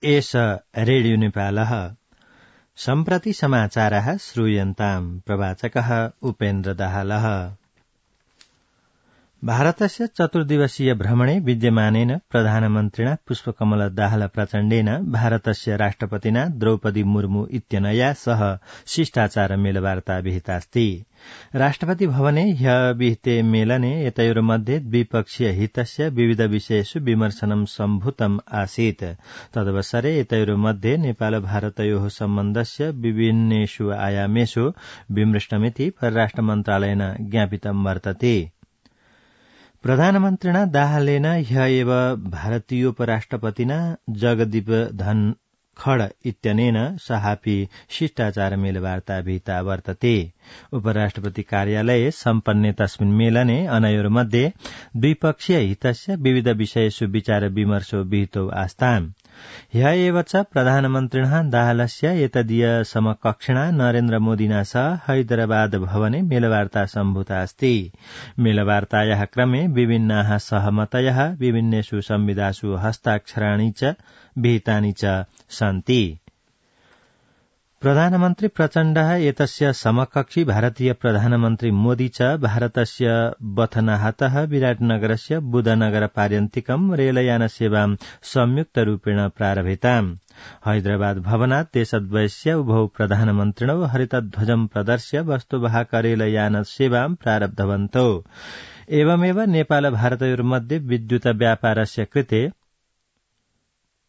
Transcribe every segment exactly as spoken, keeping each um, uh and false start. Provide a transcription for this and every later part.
एष रेडियो नेपालः सम्प्रति समाचारः श्रूयन्ताम् प्रवाचकः उपेन्द्र दाहालः। भारतस्य चतुर्दिवसीय भ्रमणे विद्यमानेन प्रधानमन्त्रिणा पुष्पकमल दाहाल प्रचण्डेन भारतस्य राष्ट्रपतिना द्रौपदी मुर्मू इत्यनया सह शिष्टाचार मेलवार्ता विहितास्ति। राष्ट्रपति भवने ह्यः विहिते मेलने एतयोर्मध्ये द्विपक्षीय हितस्य विविध विषयेषु विमर्शनं सम्भूतम् आसीत्। तदवसरे एतयोर्मध्ये नेपाल भारतयोः सम्बन्धस्य विभिन्नेषु आयामेषु विमृष्टमिति परराष्ट्र मन्त्रालयेन ज्ञापितं वर्तते। प्रधानमन्त्रिणा दाहालेन ह्यः एव भारतीयोपराष्ट्रपतिना जगदीप धनखड़ इत्यनेन सहापि शिष्टाचार मेलवार्ता विहिता वर्तते। उपराष्ट्रपति कार्यालये सम्पन्ने तस्मिन् मेलने अनयोर्मध्ये द्विपक्षीय हितस्य विविध विषयेषु विचार विमर्शो विहितो आस्ताम्। ह्यः एव च प्रधानमन्त्रिणः दाहालस्य एतदीय समकक्षिणा नरेन्द्र मोदिना सह हैदराबाद भवने मेलवार्ता सम्भूता अस्ति। मेलवार्तायाः क्रमे विभिन्नाः सहमतयः विभिन्नेषु संविधासु हस्ताक्षराणि च विहितानि च सन्ति। प्रधानमन्त्री प्रचण्डः एतस्य समकक्षी भारतीय प्रधानमन्त्री मोदी च भारतस्य बथनाहतः विराटनगरस्य बुधनगर पार्यन्तिकं रेलयानसेवां संयुक्तरूपेण प्रारभेताम्। हैदराबाद भवनात् देशद्वयस्य उभौ प्रधानमन्त्रिणौ हरितध्वजं प्रदर्श्य वस्तुवाहक रेलयानसेवां प्रारब्धवन्तौ। एवमेव नेपाल भारतयोर्मध्ये विद्युत व्यापारस्य कृते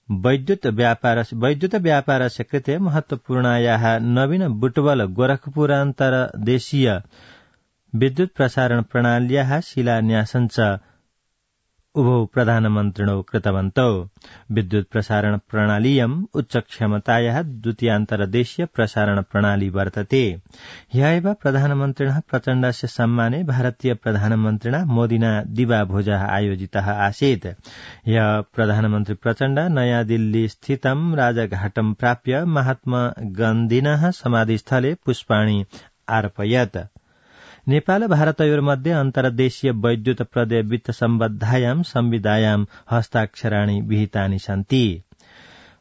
वैद्युत व्यापार वैद्युत व्यापारस्य कृते महत्वपूर्णायाः नवीन बुटवल गोरखपुर अन्तर्देशीय विद्युत प्रसारण प्रणाल्याः शिलान्यासं च उभौ प्रधानमन्त्रिणौ कृतवन्तौ। विद्युत प्रसारण प्रणालीयम् उच्च क्षमतायाः द्वितीयान्तर्देशीय प्रसारण प्रणाली वर्तते। ह्यः एव प्रधानमन्त्रिणः प्रचण्डस्य सम्माने भारतीय प्रधानमन्त्रिणा मोदिना दिवाभोजः आयोजितः आसीत्। ह्यः प्रधानमन्त्री प्रचण्ड नयाँ दिल्ली स्थितं राजघाटं प्राप्य महात्मा गान्धिनः समाधिस्थले पुष्पाणि अर्पयत्। नेपाल भारतयोर्मध्ये अन्तर्देशीय वैद्युत प्रदय वित्त सम्बद्धायां संविदायां हस्ताक्षराणि विहितानि सन्ति।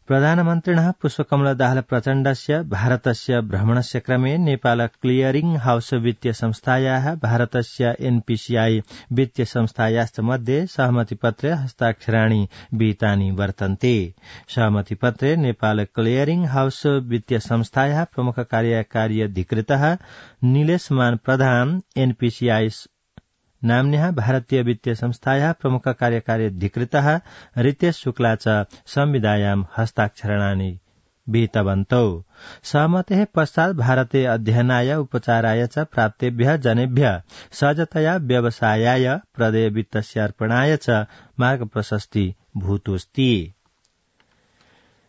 प्रधानमन्त्रिणः पुष्पकमल दाहाल प्रचण्डस्य भारतस्य भ्रमणस्य क्रमे नेपाल क्लियरिंग हाउस वित्तीय संस्थायाः भारतस्य एनपीसीआई वित्तीय संस्थायाश्च मध्ये सहमतिपत्रे हस्ताक्षराणि विहितानि वर्तन्ते। सहमतिपत्रे नेपाल क्लियरिंग हाउस वित्तीय संस्थायाः प्रमुख कार्यकारी अधिकृतः नीलेशमान प्रधान एनपीसीआई नाम्न्याः भारतीय वित्तीय संस्थायाः प्रमुख कार्यकारी अधिकृतः रितेश शुक्ला च संविदायां हस्ताक्षराणि विहितवन्तौ। सहमतेः पश्चात् भारते अध्ययनाय उपचाराय च प्राप्तेभ्यः जनेभ्यः सहजतया व्यवसायाय प्रदय वित्तस्य अर्पणाय च मार्ग प्रशस्ति भूतोऽस्ति।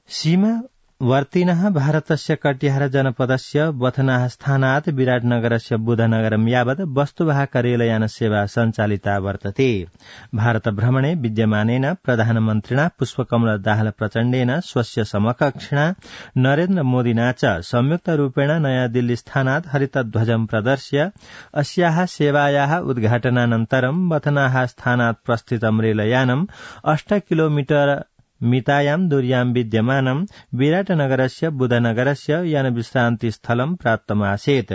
सीमा वर्तिनः भारतस्य कटिहार जनपदस्य बथनाह स्थानात् विराटनगरस्य बुधनगरं यावत् वस्तुवाहक रेलयानसेवा सञ्चालिता वर्तते। भारत भ्रमणे विद्यमानेन प्रधानमन्त्रिणा पुष्पकमल दाहाल प्रचण्डेन स्वस्य समकक्षिणा नरेन्द्र मोदिना च संयुक्तरूपेण नयाँ दिल्ली स्थानात् हरितध्वजं प्रदर्श्य अस्याः सेवायाः उद्घाटनानन्तरं बथनाह स्थानात् प्रस्थितं रेलयानम् अष्ट किलोमीटर मितायां दूर्यां विद्यमानं विराटनगरस्य बुधनगरस्य यानविश्रान्तिस्थलं प्राप्तमासीत्।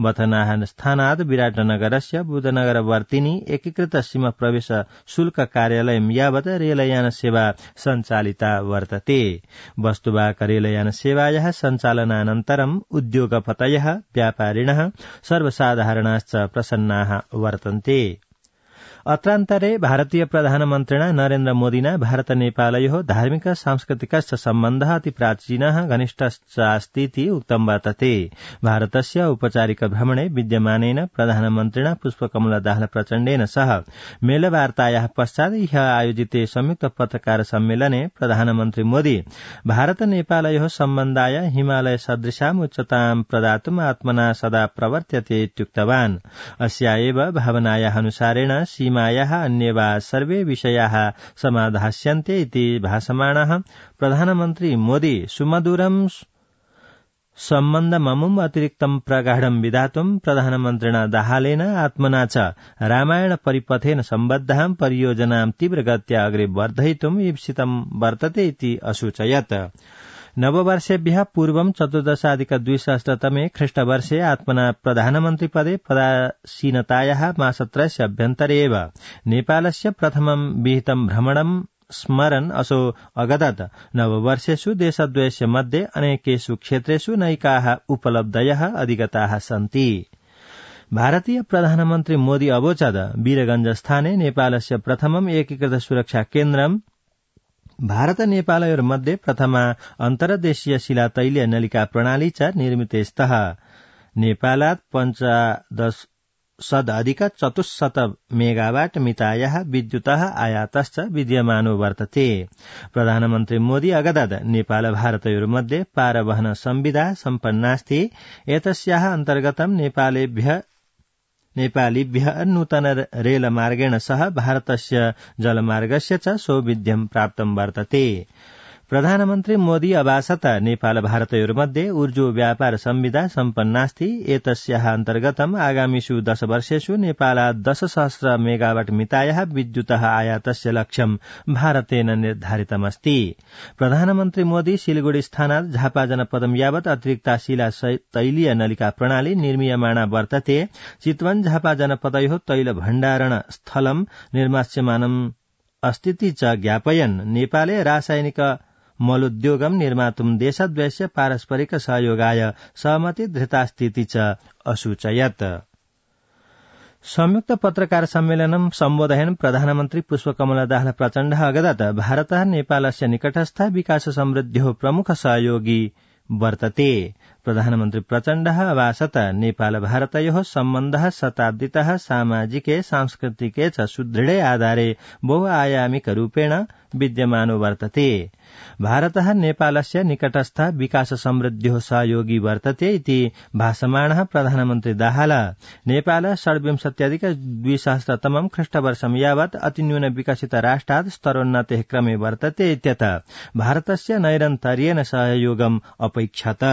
बथनाह स्थानात् विराटनगरस्य बुधनगरवर्तिनि एकीकृत सीमा प्रवेश शुल्क कार्यालयं यावत् रेलयान सेवा सञ्चालिता वर्तते। वस्तुवाहक रेलयान सेवायाः सञ्चालनानन्तरम् उद्योगपतयः व्यापारिणः सर्वसाधारणाश्च प्रसन्नाः वर्तन्ते। अत्रान्तरे भारतीय प्रधानमन्त्रिणा नरेन्द्र मोदिना भारत नेपालयोः धार्मिक सांस्कृतिकश्च सम्बन्धः अति प्राचीनः घनिष्ठश्चास्तीति उक्तं वर्तते। भारतस्य औपचारिक भ्रमणे विद्यमानेन प्रधानमन्त्रिणा पुष्पकमल दाहाल प्रचण्डेन सह मेलवार्तायाः पश्चात् ह्यः आयोजिते संयुक्त पत्रकार सम्मेलने प्रधानमन्त्री मोदी भारत नेपालयोः सम्बन्धाय हिमालय सदृशाम् उच्चतां प्रदातुम् आत्मना सदा प्रवर्त्यते इत्युक्तवान्। अस्या एव भावनायाः अनुसारेण सीमायाः अन्ये वा सर्वे विषयाः समाधास्यन्ते इति भासमानः प्रधानमन्त्री मोदी सुमधुरं सम्बन्धममुम् अतिरिक्तं प्रगाढं विधातुं प्रधानमन्त्रिणा दाहालेन आत्मना च रामायण परिपथेन सम्बद्धां परियोजनां तीव्रगत्या अग्रे वर्धयितुम् ईप्सितं वर्तते इति असूचयत्। नववर्षेभ्यः पूर्वं चतुर्दशाधिक द्विसहस्रतमे ख्रीष्टवर्षे आत्मना प्रधानमन्त्रिपदे पदासीनतायाः मासत्रयस्य अभ्यन्तरे एव नेपालस्य प्रथमं विहितं भ्रमणं स्मरन् असौ अगदत् नववर्षेषु देशद्वयस्य मध्ये अनेकेषु क्षेत्रेषु नैकाः उपलब्धयः अधिगताः सन्ति। भारतीय प्रधानमन्त्री मोदी अवोचत् वीरगंज स्थाने नेपालस्य प्रथमम् एकीकृत सुरक्षा केन्द्रं भारत नेपालयोर्मध्ये प्रथमा अन्तर्देशीय शिला तैलीय नलिका प्रणाली च निर्मिते स्तः। नेपालात् पञ्चदश सदधिक चतुश्शत मेगावाट मितायाः विद्युतः आयातश्च विद्यमानो वर्तते। प्रधानमन्त्री मोदी अगदत् नेपाल भारतयोर्मध्ये पारवहन संविदा सम्पन्नास्ति। एतस्याः अन्तर्गतं नेपालेभ्यः नेपालीभ्यः नूतन रेलमार्गेण सह भारतस्य जलमार्गस्य च सौविध्यं प्राप्तं वर्तते। प्रधानमन्त्री मोदी अभाषत नेपाल भारतयोर्मध्ये ऊर्जो व्यापार संविदा सम्पन्नास्ति। एतस्याः अन्तर्गतम् आगामिषु दश वर्षेषु नेपालात् दश सहस्र मेगावाट मितायाः विद्युतः आयातस्य लक्ष्यं भारतेन निर्धारितमस्ति। प्रधानमन्त्री मोदी सिलगढ़ी स्थानात् झापा जनपदं यावत् अतिरिक्ता शिला तैलीय नलिका प्रणाली निर्मीयमाणा वर्तते। चितवन झापा जनपदयोः तैल भण्डारण स्थलं निर्मास्यमानम् अस्तीति च ज्ञापयन् नेपाले रासायनिक मलोद्योगं निर्मातुं देशद्वयस्य पारस्परिक सहयोगाय सहमति धृतास्तीति च असूचयत्। संयुक्त पत्रकार सम्मेलनं सम्बोधयन् प्रधानमन्त्री पुष्पकमल दाहाल प्रचण्डः अगदत् भारतः नेपालस्य निकटस्थ विकास समृद्ध्योः प्रमुख सहयोगी वर्तते। प्रधानमन्त्री प्रचण्डः अभाषत नेपाल भारतयोः सम्बन्धः शताब्दीतः सामाजिके सांस्कृतिके च सुदृढे आधारे बहुआयामिक रूपेण विद्यमानो वर्तते। भारतः नेपालस्य निकटस्थ विकास समृद्ध्योः सहयोगी वर्तते इति भाषमाणः प्रधानमन्त्री दाहाल नेपाल षड्विंशत्यधिक द्विसहस्रतमं ख्रीष्टवर्षं यावत् अतिन्यून विकसित राष्ट्रात् स्तरोन्नतेः क्रमे वर्तते इत्यतः भारतस्य नैरन्तर्येण सहयोगम् अपैक्षत।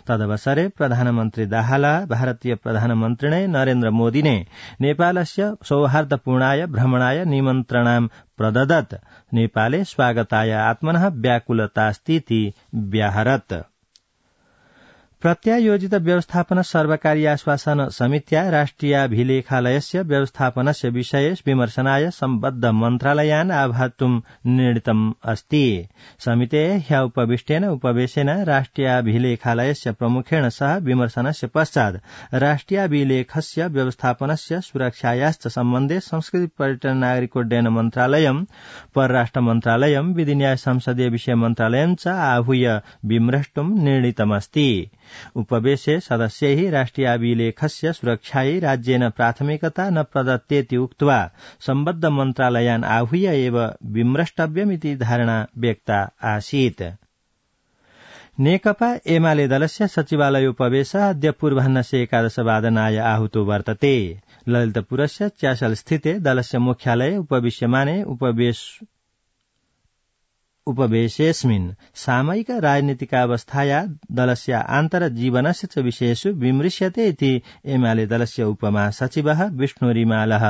तदवसरे प्रधानमन्त्री दाहाल भारतीय प्रधानमन्त्रिणे नरेन्द्र मोदिने नेपालस्य सौहार्दपूर्णाय भ्रमणाय निमन्त्रणां प्रददत्। नेपाले स्वागताय आत्मनः व्याकुलतास्तीति व्याहरत्। प्रत्यायोजित व्यवस्थापन सर्वकारीय आश्वासन समित्या राष्ट्रियाभिलेखालयस्य व्यवस्थापनस्य विषये विमर्शनाय सम्बद्ध मन्त्रालयान् आह्वातुं निर्णीतम् अस्ति। समितेः ह्य उपविष्टेन उपवेशेन राष्ट्रियाभिलेखालयस्य प्रमुखेण सह विमर्शनस्य पश्चात् राष्ट्रियाभिलेखस्य व्यवस्थापनस्य सुरक्षायाश्च सम्बन्धे संस्कृति पर्यटन नागरिकोड्डयन मन्त्रालयम् परराष्ट्र मन्त्रालयम् विधिन्याय संसदीय विषय मन्त्रालयम् च आहूय विमृष्टुं निर्णीतमस्ति। उपवेशे सदस्यैः राष्ट्रियाभिलेखस्य सुरक्षायै राज्येन प्राथमिकता न प्रदत्तेति उक्त्वा सम्बद्ध मन्त्रालयान् आहूय एव विमृष्टव्यमिति धारणा व्यक्ता आसीत्। नेकपा एमाले दलस्य सचिवालयोपवेशः अद्य पूर्वाह्नस्य एकादशवादनाय आहूतो वर्तते। ललितपुरस्य च्यासल स्थिते दलस्य मुख्यालये उपविश्यमाने उपवेश उपवेशेऽस्मिन् सामयिक राजनीतिकावस्थाया दलस्य आन्तरजीवनस्य च विषयेषु विमृश्यते इति एमाले दलस्य उपमहासचिवः विष्णु रिमालः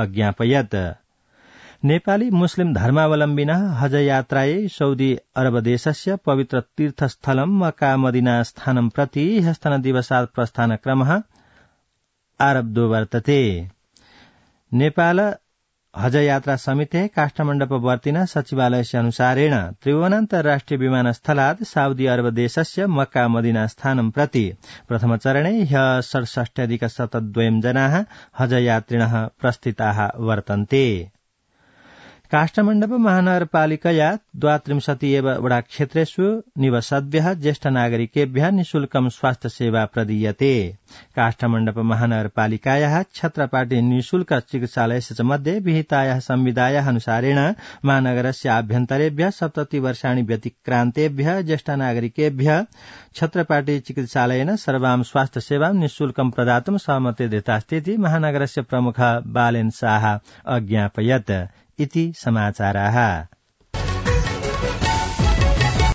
अज्ञापयत्। नेपाली मुस्लिम धर्मावलम्बिनः हज यात्रायै सौदी अरब देशस्य पवित्र तीर्थस्थलं मक्का मदीना स्थानं प्रति ह्यस्तनदिवसात् प्रस्थानक्रमः आरब्धो वर्तते। नेपाल हज यात्रा समितेः काष्ठमण्डपवर्तिनः सचिवालयस्य अनुसारेण त्रिभुवन अन्तर्राष्ट्रिय विमानस्थलात् साउदी अरब देशस्य मक्का मदीना स्थानं प्रति प्रथमचरणे ह्यः षड्षष्ट्यधिक शतद्वयं जनाः हज यात्रिणः प्रस्थिताः वर्तन्ते। काष्ठमण्डप महानगरपालिकया द्वात्रिंशति एव वडाक्षेत्रेषु निवसद्भ्यः ज्येष्ठ नागरिकेभ्यः निःशुल्कं स्वास्थ्य सेवा प्रदीयते। काष्ठमण्डप महानगरपालिकायाः छत्रपाटी निःशुल्क चिकित्सालयस्य च मध्ये विहितायाः संविधायाः अनुसारेण महानगरस्य आभ्यन्तरेभ्यः सप्तति वर्षाणि व्यतिक्रान्तेभ्यः ज्येष्ठ नागरिकेभ्यः छत्रपाटी चिकित्सालयेन सर्वां स्वास्थ्य सेवां निःशुल्कं प्रदातुं सहमति दत्तास्तीति महानगरस्य प्रमुख बालेन शाह अज्ञापयत् इति समाचाराः।